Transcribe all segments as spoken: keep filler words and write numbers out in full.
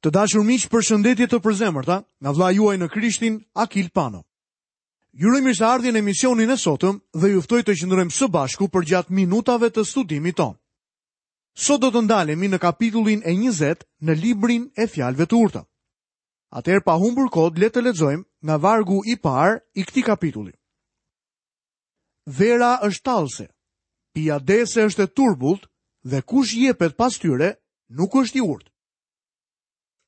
Të dashur miq, përshëndetje të përzemërta nga vëllai juaj në Krishtin, Akil Pano. Ju uroj mirëseardhjen në emisionin e sotëm dhe ju ftoj të qëndrojmë së bashku përgjatë minutave të studimit tonë. Sot do të ndalemi në kapitullin e njëzet në librin e fjalëve të urta. Atëherë pa humbur kohë, le të lexojmë nga vargu i parë i këtij kapitulli. Vera është tallëse, pija dese është e turbullt dhe kush jepet pas tyre nuk është i urtë.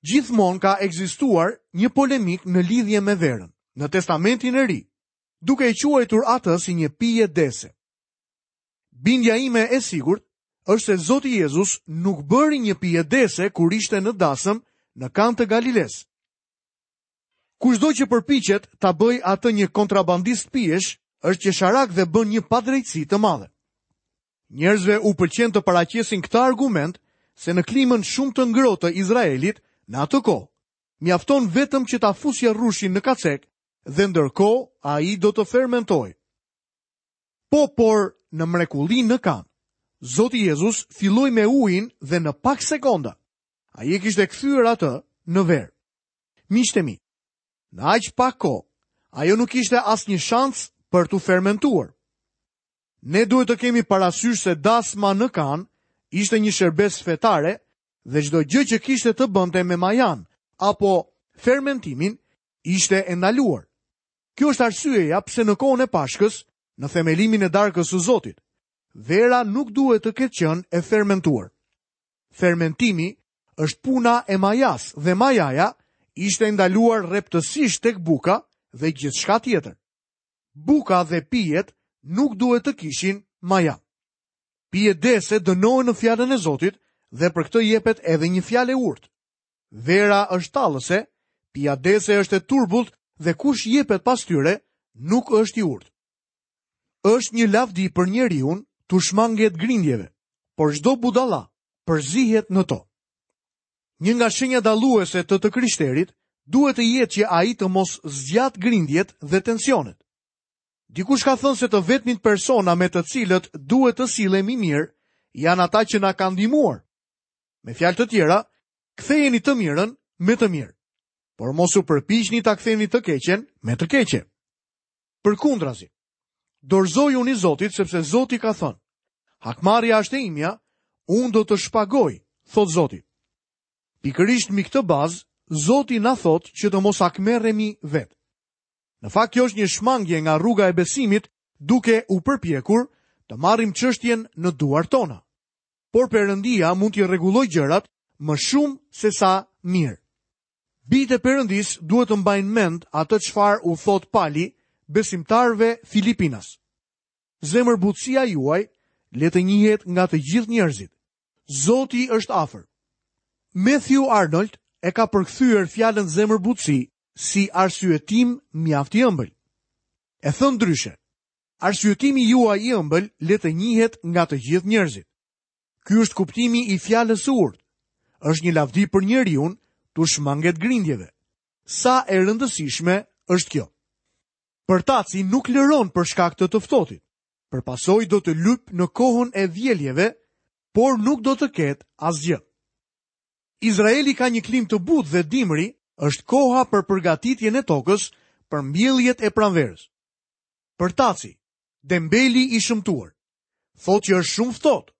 Gjithmonë ka ekzistuar një polemik në lidhje me verën, në Testamentin e Ri, duke e quajtur atë si një pije dese. Bindja ime e sigurt është se Zoti Jezus nuk bëri një pije dese kur ishte në dasëm në Kanë të Galiles. Kushdo që përpiqet ta bëj atë një kontrabandist pijesh, është qesharak dhe bën një padrejtësi të madhe. Njerëzve u pëlqen të paraqesin këtë argument se në klimën shumë të ngrohtë të Izraelit në atë kohë, mjafton vetëm që ta fusje rrushin në kacek dhe ndërkohë ai do të fermentojë. Po, por në mrekullinë në Kanë, Zoti Jezus filloi me ujin dhe në pak sekonda ai e kishte kthyer atë në verë. Miqtë e mi, në aq pak kohë, ajo nuk kishte asnjë shans për t'u fermentuar. Ne duhet të kemi parasysh se dasma në Kanë ishte një shërbes fetare dhe çdo gjë që kishte të bënte me majan apo fermentimin ishte e ndaluar. Kjo është arsyeja pse në kohën e Pashkës, në themelimin e darkës së Zotit, vera nuk duhet të ketë qenë e fermentuar. Fermentimi është puna e majas dhe majaja ishte e ndaluar rreptësisht tek buka dhe gjithçka tjetër. Buka dhe pijet nuk duhet të kishin maja. Pijet dese dënohen në fjalën e Zotit dhe për këtë jepet edhe një fjalë e urtë. Vera është tallëse, pija dese është e turbullt dhe kush jepet pas tyre nuk është i urtë. Është një lavdi për njeriun t'u shmanget grindjeve, por çdo budalla përzihet në to. Një nga shenjat dalluese të të krishterit duhet të jetë që ai të mos zgjat grindjet dhe tensionet. Dikush ka thënë se të vetmit persona me të cilët duhet të sillemi mirë janë ata që na kanë ndihmuar. Me fjalë të tjera, kthejeni të mirën me të mirë, por mos u përpiqni ta ktheni të keqen me të keqe. Përkundrazi, dorëzojuni Zotit sepse Zoti ka thënë: Hakmarrja është e imja, unë do të shpagoj, thot Zoti. Pikërisht mbi këtë bazë, Zoti na thotë që të mos hakmerremi vetë. Në fakt kjo është një shmangje nga rruga e besimit, duke u përpjekur të marrim çështjen në duart tona. Por Perëndia mund t'i rregullojë gjërat më shumë se sa mirë. Bijtë e Perëndis duhet të mbajnë mend atë çfarë u thot Pali besimtarëve Filipinas. Zemërbutësia juaj le të njihet nga të gjithë njerëzit. Zoti është afër. Matthew Arnold e ka përkthyer fjalën zemërbutësi si arsyetim mjaft i ëmbël. E thënë ndryshe, arsyetimi juaj i ëmbël le të njihet nga të gjithë njerëzit. Ky është kuptimi i fjalës së urtë. Është një lavdi për njeriun t'u shmanget grindjeve. Sa e rëndësishme është kjo. Përtaci nuk lëron për shkak të të ftohtit. Për pasojë do të lyp në kohën e vjeljeve, por nuk do të ketë asgjë. Izraeli ka një klimë të butë dhe dimri është koha për përgatitjen e tokës për mbjelljet e pranverës. Përtaci, dembeli i shëmtuar, thotë që është shumë ftohtë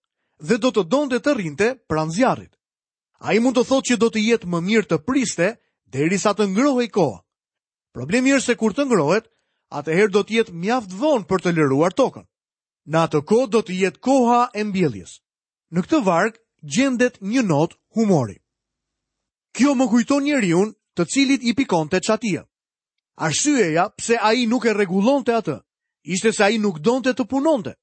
dhe do të donte të rrinte pranë zjarrit. Ai mund të thotë që do të jetë më mirë të priste derisa të ngrohej koha. Problemi është se kur të ngrohet, atëherë do të jetë mjaft vonë për të lëruar tokën. Në atë kohë do të jetë koha e mbjelljes. Në këtë varg gjendet një notë humori. Kjo më kujton njeriun të cilit i pikonte çatia. Arsyeja pse ai nuk e rregullonte atë, ishte se ai nuk donte të punonte.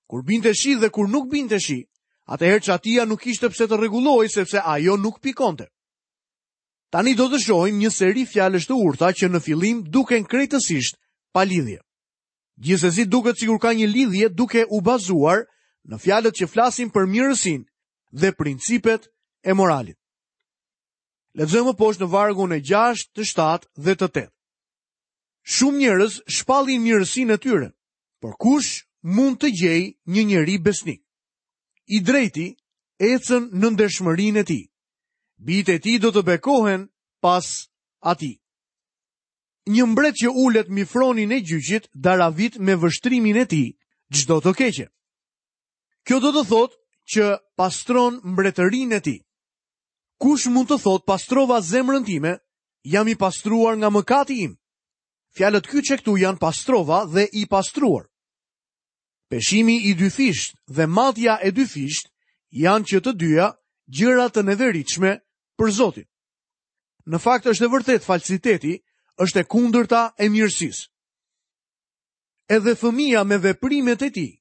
Kur binte shi dhe kur nuk binte shi, atëherë çatia nuk kishte pse të rregullohej sepse ajo nuk pikonte. Tani do të shohim një seri fjalësh të urta që në fillim duken krejtësisht pa lidhje. Gjithsesi duket sikur ka një lidhje duke u bazuar në fjalët që flasin për mirësinë dhe principet e moralit. Lexojmë poshtë në vargun e gjashtë, të shtatë dhe të tetë. Shumë njerëz shpallin mirësinë e tyre, por kush mund të gjejë një njeri besnik? I drejti ecën në ndershmërinë e tij. Bijtë e tij do të bekohen pas atij. Një mbret që ulet mbi fronin e gjyqit daravit me vështrimin e tij çdo të keqe. Kjo do të thotë që pastron mbretërinë e tij. Kush mund të thotë pastrova zemrën time, jam i pastruar nga mëkati im? Fjalët kyçe këtu janë pastrova dhe i pastruar. Peshimi i dyfisht dhe matja e dyfisht janë që të dyja gjëra të neveritshme për Zotin. Në fakt është e vërtet, falsiteti është e kundërta e mirësisë. Edhe fëmija me veprimet e tij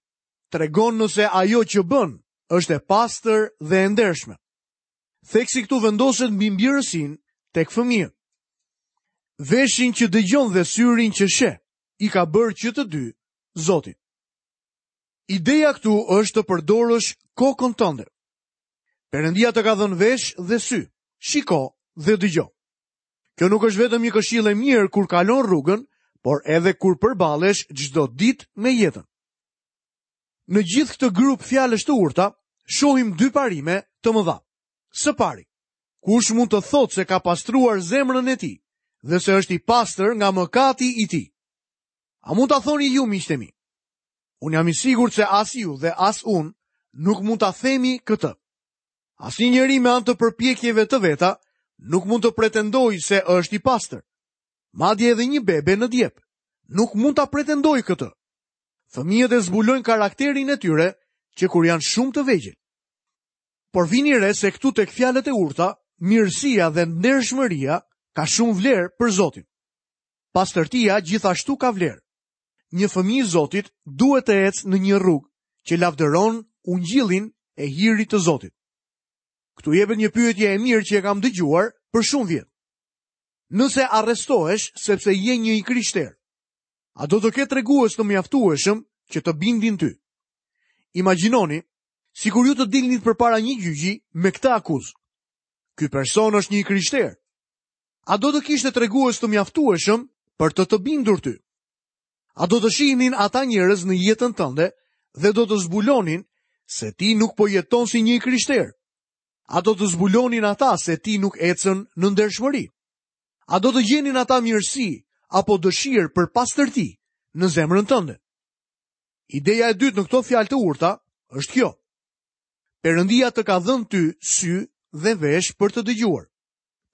tregon nëse ajo që bën është e pastër dhe e ndershme. Theksi këtu vendoset mbi mbirësinë tek fëmijët. Veshin që dëgjon dhe syrin që sheh, i ka bërë që të dy Zoti. Ideja këtu është të përdorësh kokën tënde. Perëndia të ka dhënë vesh dhe sy, shiko dhe dëgjo. Kjo nuk është vetëm një këshillë e mirë kur kalon rrugën, por edhe kur përballesh çdo ditë me jetën. Në gjithë këtë grup fjalësh të urta, shohim dy parime të mëdha. Së pari, kush mund të thotë se ka pastruar zemrën e tij dhe se është i pastër nga mëkati i tij? A mund ta thoni ju, miqtë e mi? Unë jam i sigurt se as ju dhe as unë nuk mund ta themi këtë. Asnjë njeri me anë të përpjekjeve të veta nuk mund të pretendojë se është i pastër. Madje edhe një bebe në djep nuk mund ta pretendojë këtë. Fëmijët e zbulojnë karakterin e tyre që kur janë shumë të vegjël. Por vini re se këtu tek fjalët e urta, mirësia dhe ndershmëria ka shumë vlerë për Zotin. Pastërtia gjithashtu ka vlerë. Një fëmijë i Zotit duhet të ecë në një rrugë që lavdëron ungjillin e hirit të Zotit. Këtu jepet një pyetje e mirë që e kam dëgjuar për shumë vjet. Nëse arrestohesh sepse je një i krishterë, a do të ketë tregues të mjaftueshëm që të bindin ty? Imagjinoni sikur ju të dilnit përpara një gjyqi me këtë akuzë. Ky person është një i krishterë. A do të kishte tregues të mjaftueshëm për të të bindur ty? A do të shihnin ata njerëz në jetën tënde dhe do të zbulonin se ti nuk po jeton si një i krishterë? A do të zbulonin ata se ti nuk ecën në ndershmëri? A do të gjenin ata mirësi apo dëshirë për pastërti në zemrën tënde? Ideja e dytë në këto fjalë të urta është kjo. Perëndia të ka dhënë ty sy dhe vesh për të dëgjuar.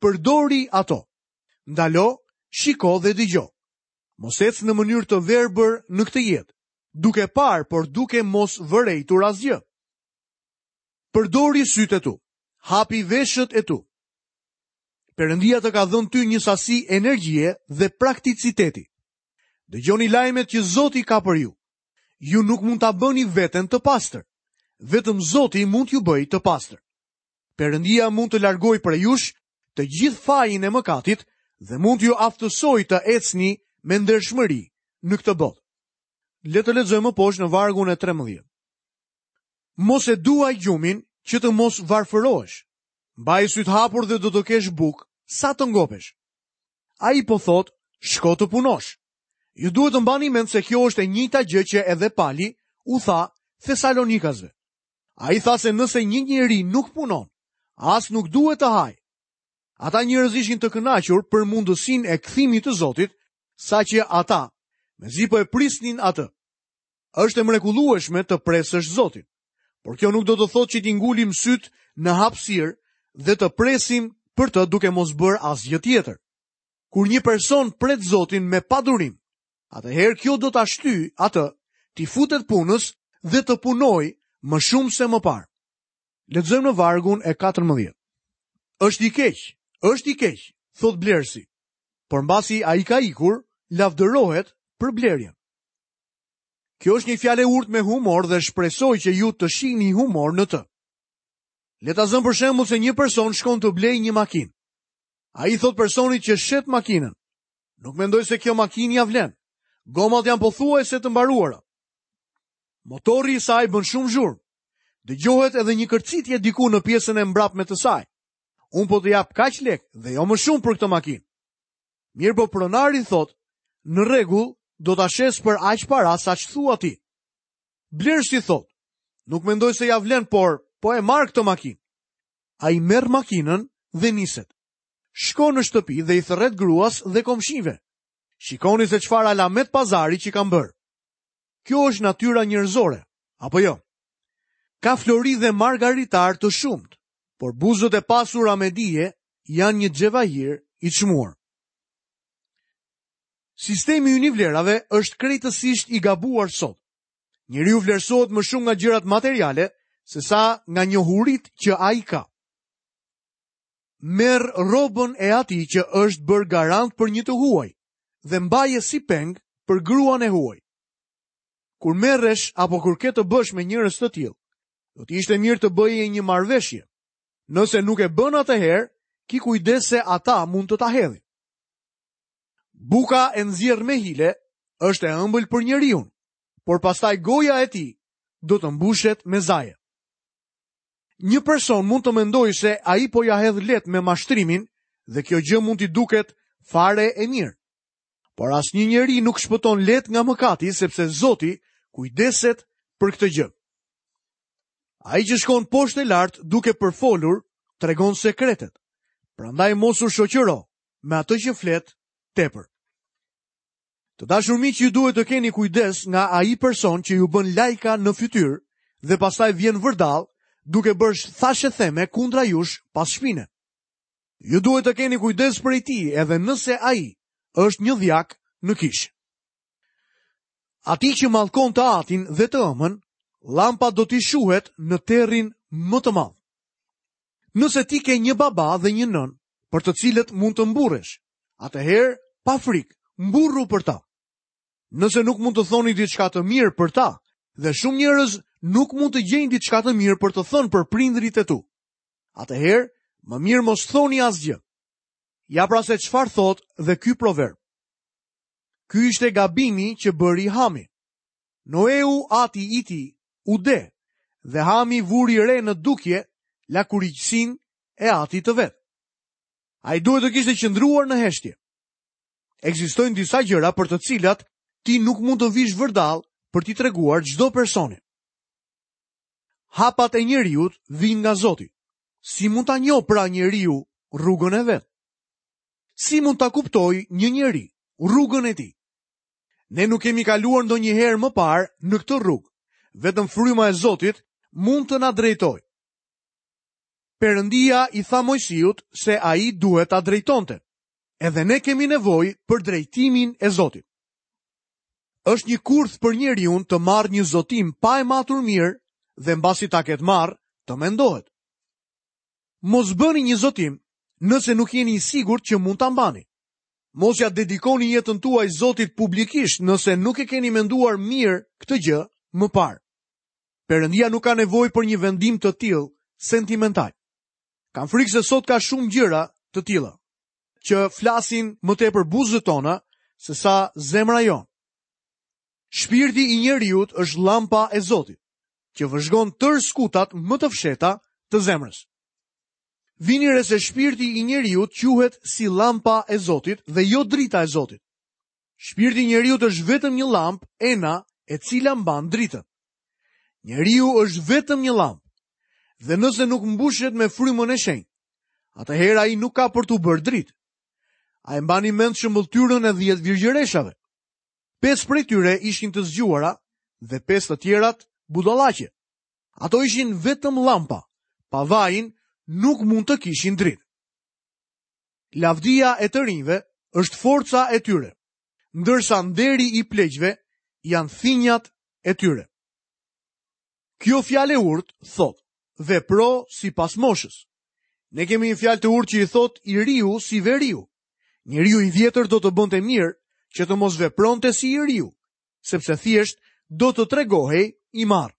Përdori ato. Ndalo, shiko dhe dëgjo. Mos ec në mënyrë të verbër në këtë jetë, duke parë, por duke mos vërejtur asgjë. Përdori sytë e tu, hapi veshët e tu. Perëndia të ka dhënë ty një sasi energjie dhe prakticiteti. Dëgjoni lajmet që Zoti ka për ju. Ju nuk mund ta bëni veten të pastër. Vetëm Zoti mund t'ju bëjë të pastër. Perëndia mund të largojë prej jush të gjithë fajin e mëkatit dhe mund t'ju aftësojë të ecni me ndershmëri në këtë botë. Le të lexojmë më poshtë në vargun e trembëdhjetë. Mos e duaj gjumin që të mos varfërohesh. Mbaj syt hapur dhe do të kesh bukë sa të ngopesh. Ai po thotë, shko të punosh. Ju duhet të mbani mend se kjo është e njëjta gjë që edhe Pali u tha Thesalonikasve. Ai tha se nëse një njeri nuk punon, as nuk duhet të hajë. Ata njerëz ishin të kënaqur për mundësinë e kthimit të Zotit, saqë ata mezi po e prisnin atë. Është e mrekullueshme të presësh Zotin, por kjo nuk do të thotë që t'i ngulim syt në hapësirë dhe të presim për të duke mos bërë asgjë tjetër. Kur një person pret Zotin me padurim, atëherë kjo do ta shtyjë atë t'i futet punës dhe të punojë më shumë se më parë. Lexojmë në vargun e katërmbëdhjetë. Është i keq, është i keq, thot blerësi. Por mbasi ai ka ikur, lavdërohet për blerjen. Kjo është një fjalë e urtë me humor dhe shpresoj që ju të shihni humor në të. Le ta zëm për shembull se një person shkon të blejë një makinë. Ai thot personit që shet makinën: "Nuk mendoj se kjo makinë ja vlen. Gomat janë pothuajse të mbaruara. Motori i saj bën shumë zhurmë. Dëgjohet edhe një kërcitje diku në pjesën e mbrapme të saj. Unë po të jap kaq lek dhe jo më shumë për këtë makinë." Mirë po pronari thot: "Në rregull, do ta shes për aq para sa ç'thua ti." Blerësi thot: "Nuk mendoj se ja vlen, por po e marr këtë makinë." Ai merr makinën dhe niset. Shkon në shtëpi dhe i thërret gruas dhe komshinjve. Shikoni se çfarë alamet pazari që kam bërë. Kjo është natyra njerëzore, apo jo? Ka flori dhe margaritar të shumtë, por buzët e pasura me dije janë një xhevahir i çmuar. Sistemi ynë i vlerave është krejtësisht i gabuar sot. Njeriu vlerësohet më shumë nga gjërat materiale se sa nga njohuritë që ai ka. Merr rrobën e atij që është bërë garant për një të huaj dhe mbaje si peng për gruan e huaj. Kur merresh apo kur ke të bësh me njerëz të tillë, do të ishte mirë të bëje një marrëveshje. Nëse nuk e bën atëherë, ki kujdes se ata mund të ta hedhin. Buka e nxjerr me hile është e ëmbël për njeriun, por pastaj goja e tij do të mbushet me zaje. Një person mund të mendojë se ai po ja hedh lehtë me mashtrimin dhe kjo gjë mund t'i duket fare e mirë. Por asnjë njeri nuk shpëton lehtë nga mëkati, sepse Zoti kujdeset për këtë gjë. Ai që shkon poshtë e lart duke përfolur, tregon sekretet. Prandaj mos u shoqëro me atë që flet tepër. Të dashur miq, ju duhet të keni kujdes nga ai person që ju bën lajka në fytyrë dhe pastaj vjen vërdall duke bërë thashë theme kundra jush pas shpine. Ju duhet të keni kujdes prej tij edhe nëse ai është një dhjak në kishë. Atij që mallkon të atin dhe të ëmën, lampa do t'i shuhet në terrin më të madh. Nëse ti ke një baba dhe një nënë, për të cilët mund të mburresh, atëherë pa frikë, mburru për ta. Nëse nuk mund të thoni diçka të mirë për ta, dhe shumë njerëz nuk mund të gjejnë diçka të mirë për të thënë për prindërit e tu, atëherë më mirë mos thoni asgjë. Ja pra se çfarë thotë dhe ky proverb. Ky ishte gabimi që bëri Hami. Noeu, ati i tij, u de, dhe Hami vuri re në dukje lakuriqësinë e atit të vet. Ai duhet të kishte qëndruar në heshtje. Ekzistojnë disa gjëra për të cilat ti nuk mund të vish vërdall për t'i treguar çdo personi. Hapat e njeriut vijnë nga Zoti. Si mund ta njohë pra njeriu rrugën e vet? Si mund ta kuptojë një njeri rrugën e tij? Ne nuk kemi kaluar ndonjëherë më parë në këtë rrugë. Vetëm fryma e Zotit mund të na drejtojë. Perëndia i tha Mojsiut se ai duhet ta drejtonte. Edhe ne kemi nevojë për drejtimin e Zotit. Është një kurth për njeriun të marrë një zotim pa e matur mirë dhe mbasi ta ketë marrë, të mendohet. Mos bëni një zotim nëse nuk jeni i sigurt që mund ta mbani. Mos ja dedikoni jetën tuaj Zotit publikisht nëse nuk e keni menduar mirë këtë gjë më parë. Perëndia nuk ka nevojë për një vendim të tillë sentimental. Kam frikë se sot ka shumë gjëra të tilla që flasin më tepër buzët tona se sa zemra jonë. Shpirti i njeriut është lampa e Zotit, që vëzhgon tërë skutat më të fshehta të zemrës. Vini re se shpirti i njeriut quhet si lampa e Zotit dhe jo drita e Zotit. Shpirti i njeriut është vetëm një lampë ena e cila mban dritën. Njeriu është vetëm një lampë. Dhe nëse nuk mbushet me frymën e shenjtë, atëherë ai nuk ka për t'u bërë dritë. A e mbani mend shëmbëlltyrën e dhjetë virgjëreshave? Pesë prej tyre ishin të zgjuara dhe pesë të tjerat budallaqe. Ato ishin vetëm lampa, pa vajin nuk mund të kishin dritë. Lavdia e të rinjve është forca e tyre, ndërsa nderi i pleqve janë thinjat e tyre. Kjo fjalë e urtë thotë, vepro sipas moshës. Ne kemi një fjalë të urtë që i thotë i riu si veriu. Njeriu i vjetër do të bënte mirë që të mos vepronte si i riu, sepse thjesht do të tregohej i marrë.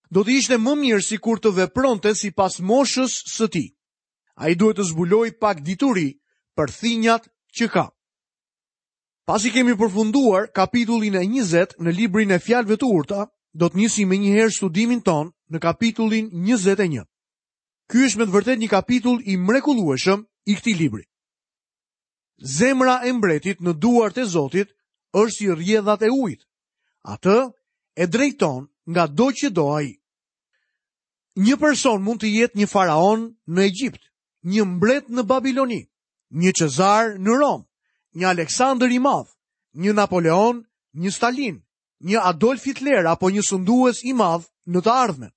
Do të ishte më mirë sikur të vepronte sipas moshës së tij. Ai duhet të zbulojë pak dituri për thinjat që ka. Pasi kemi përfunduar kapitullin e njëzet në librin e fjalëve të urta, do të nisim menjëherë studimin ton në kapitullin njëzet e një. Ky është me të vërtetë një kapitull i mrekullueshëm i këtij libri. Zemra e mbretit në duart e Zotit është si rrjedhat e ujit. Atë e drejton nga do që do ai. Një person mund të jetë një faraon në Egjipt, një mbret në Babiloni, një Cezar në Romë, një Aleksandër i Madh, një Napoleon, një Stalin, një Adolf Hitler apo një sundues i madh në të ardhmen.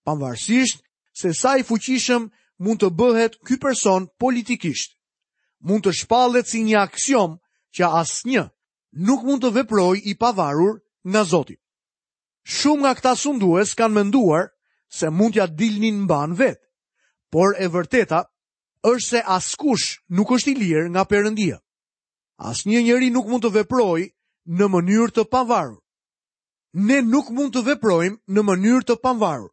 Pavarësisht se sa i fuqishëm mund të bëhet ky person politikisht, mund të shpallet si një aksiom që asnjë nuk mund të veprojë i pavarur nga Zoti. Shumë nga këta sundues kanë menduar se mund t'ja dilnin mban vetë, por e vërteta është se askush nuk është i lirë nga Perëndia. Asnjë njeri nuk mund të veprojë në mënyrë të pavarur. Ne nuk mund të veprojmë në mënyrë të pavarur.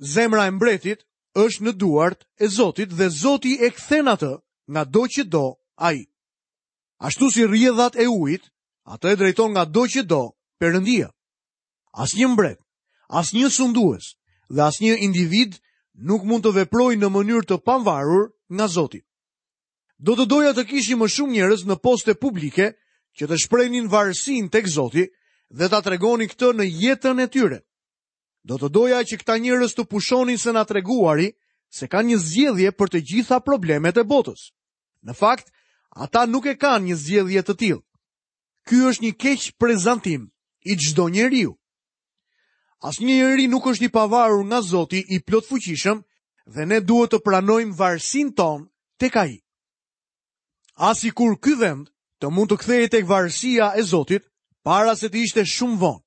Zemra e mbretit është në duart e Zotit dhe Zoti e kthen atë nga do që do ai. Ashtu si rrjedhat e ujit, atë e drejton nga do që do Perëndia. Asnjë mbret, asnjë sundues dhe asnjë individ nuk mund të veprojë në mënyrë të pavarur nga Zoti. Do të doja të kishim më shumë njerëz në poste publike që të shprehnin varësinë tek Zoti dhe ta tregonin këtë në jetën e tyre. Do të doja që këta njerëz të pushonin së na treguari se kanë një zgjedhje për të gjitha problemet e botës. Në fakt, ata nuk e kanë një zgjedhje të tillë. Ky është një keq prezantim i çdo njeriu. Asnjë njeri nuk është i pavarur nga Zoti i plotfuqishëm dhe ne duhet të pranojmë varësinë tonë tek ai. Asi kur ky vend të mund të kthehej tek varësia e Zotit para se të ishte shumë vonë.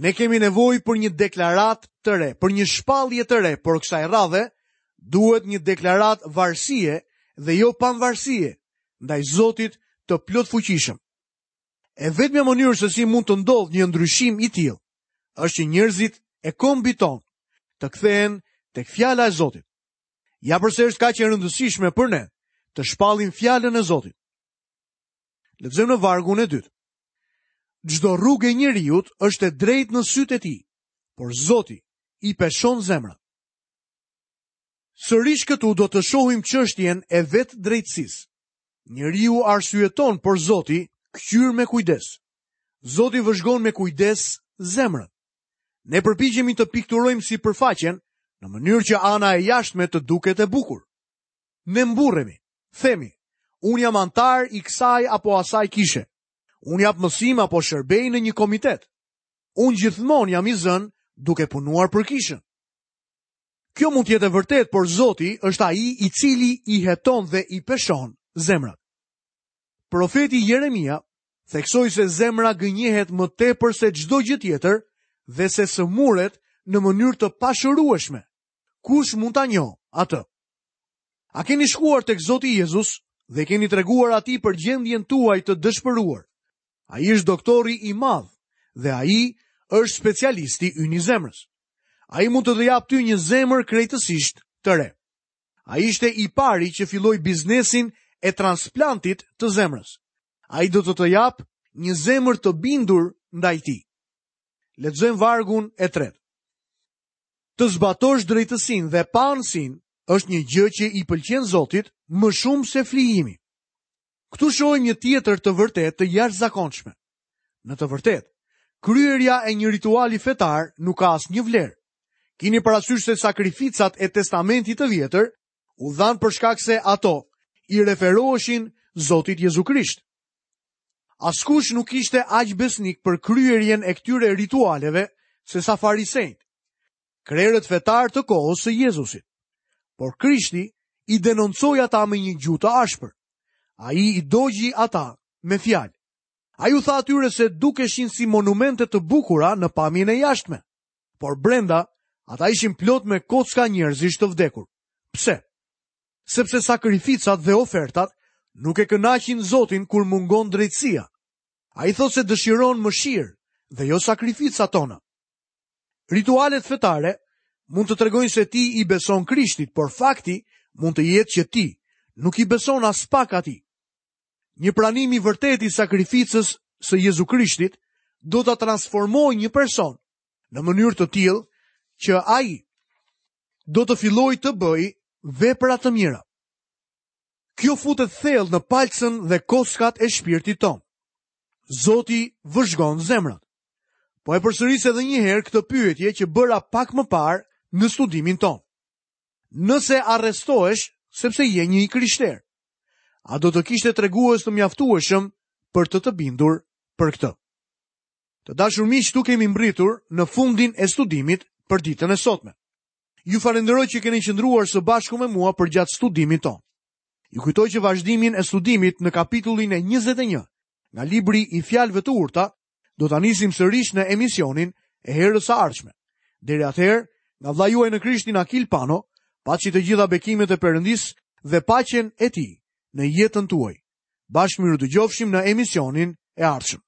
Ne kemi nevojë për një deklaratë të re, për një shpallje të re, por kësaj radhe duhet një deklaratë varësie dhe jo pavarësie ndaj Zotit të plotfuqishëm. E vetmja mënyrë se si mund të ndodhë një ndryshim i tillë është që njerëzit e kombit tonë të kthehen tek fjala e Zotit. Ja përse është kaq e rëndësishme për ne të shpallim fjalën e Zotit. Lexojmë në vargun e dytë. Çdo rrugë e njeriut është e drejtë në sytë e tij, por Zoti i peshon zemrat. Sërish këtu do të shohim çështjen e vetë drejtësisë. Njeriu arsyeton, por Zoti kqyr me kujdes. Zoti vëzhgon me kujdes zemrën. Ne përpiqemi të pikturojmë sipërfaqen në mënyrë që ana e jashtme të duket e bukur. Ne mburremi, themi, unë jam antar i kësaj apo asaj kishe. Unë jap mësim apo shërbej në një komitet. Unë gjithmonë jam i zënë duke punuar për kishën. Kjo mund të jetë e vërtetë, por Zoti është ai i cili i heton dhe i peshon zemrat. Profeti Jeremia theksoi se zemra gënjehet më tepër se çdo gjë tjetër dhe se sëmuret në mënyrë të pashërueshme. Kush mund ta njohë atë? A keni shkuar tek Zoti Jezus dhe keni treguar atij për gjendjen tuaj të dëshpëruar? Ai është doktori i madh dhe ai është specialisti ynë i zemrës. Ai mund të të japë ty një zemër krejtësisht të re. Ai ishte i pari që filloi biznesin e transplantit të zemrës. Ai do të të japë një zemër të bindur ndaj tij. Lexojmë vargun e tretë. Të zbatosh drejtësinë dhe paanësinë është një gjë që i pëlqen Zotit më shumë se flijimi. Këtu shohim një tjetër të vërtetë të jashtëzakonshme. Në të vërtetë, kryerja e një rituali fetar nuk ka asnjë vlerë. Kini parasysh se sakrificat e Testamentit të Vjetër u dhanë për shkak se ato i referoheshin Zotit Jezu Krisht. Askush nuk ishte aq besnik për kryerjen e këtyre ritualeve se sa farisejt, krerët fetar të kohës së Jezusit. Por Krishti i denoncoi ata me një gjuhë të ashpër. Ai i dogji ata me fjalë. Ai u tha atyre se dukeshin si monumente të bukura në pamjen e jashtme, por brenda ata ishin plot me kocka njerëzish të vdekur. Pse? Sepse sakrificat dhe ofertat nuk e kënaqin Zotin kur mungon drejtësia. Ai thotë se dëshiron mëshirë dhe jo sakrificat tona. Ritualet fetare mund të tregojnë se ti i beson Krishtit, por fakti mund të jetë që ti nuk i beson as pak atij. Një pranim i vërtetë i sakrificës së Jezu Krishtit do ta transformojë një person në mënyrë të tillë që ai do të fillojë të bëjë vepra të mira. Kjo futet thellë në palcën dhe kockat e shpirtit ton. Zoti vëzhgon zemrat. Po e përsëris edhe një herë këtë pyetje që bëra pak më parë në studimin ton. Nëse arrestohesh sepse je një i krishterë. A do të kishte tregues të mjaftueshëm për të të bindur për këtë? Të dashur miq, këtu kemi mbërritur në fundin e studimit për ditën e sotme. Ju falenderoj që keni qëndruar së bashku me mua përgjatë studimit tonë. Ju kujtoj që vazhdimin e studimit në kapitullin e njëzet e një nga libri i Fjalëve të Urta do ta nisim sërish në emisionin e herës së ardhshme. Deri atëherë, nga vëllai juaj në Krishtin Akil Pano, paçi të gjitha bekimet e Perëndisë dhe paqen e Tij në jetën tuaj. Bashkë mirudëgjofshim në emisionin e ardhshëm.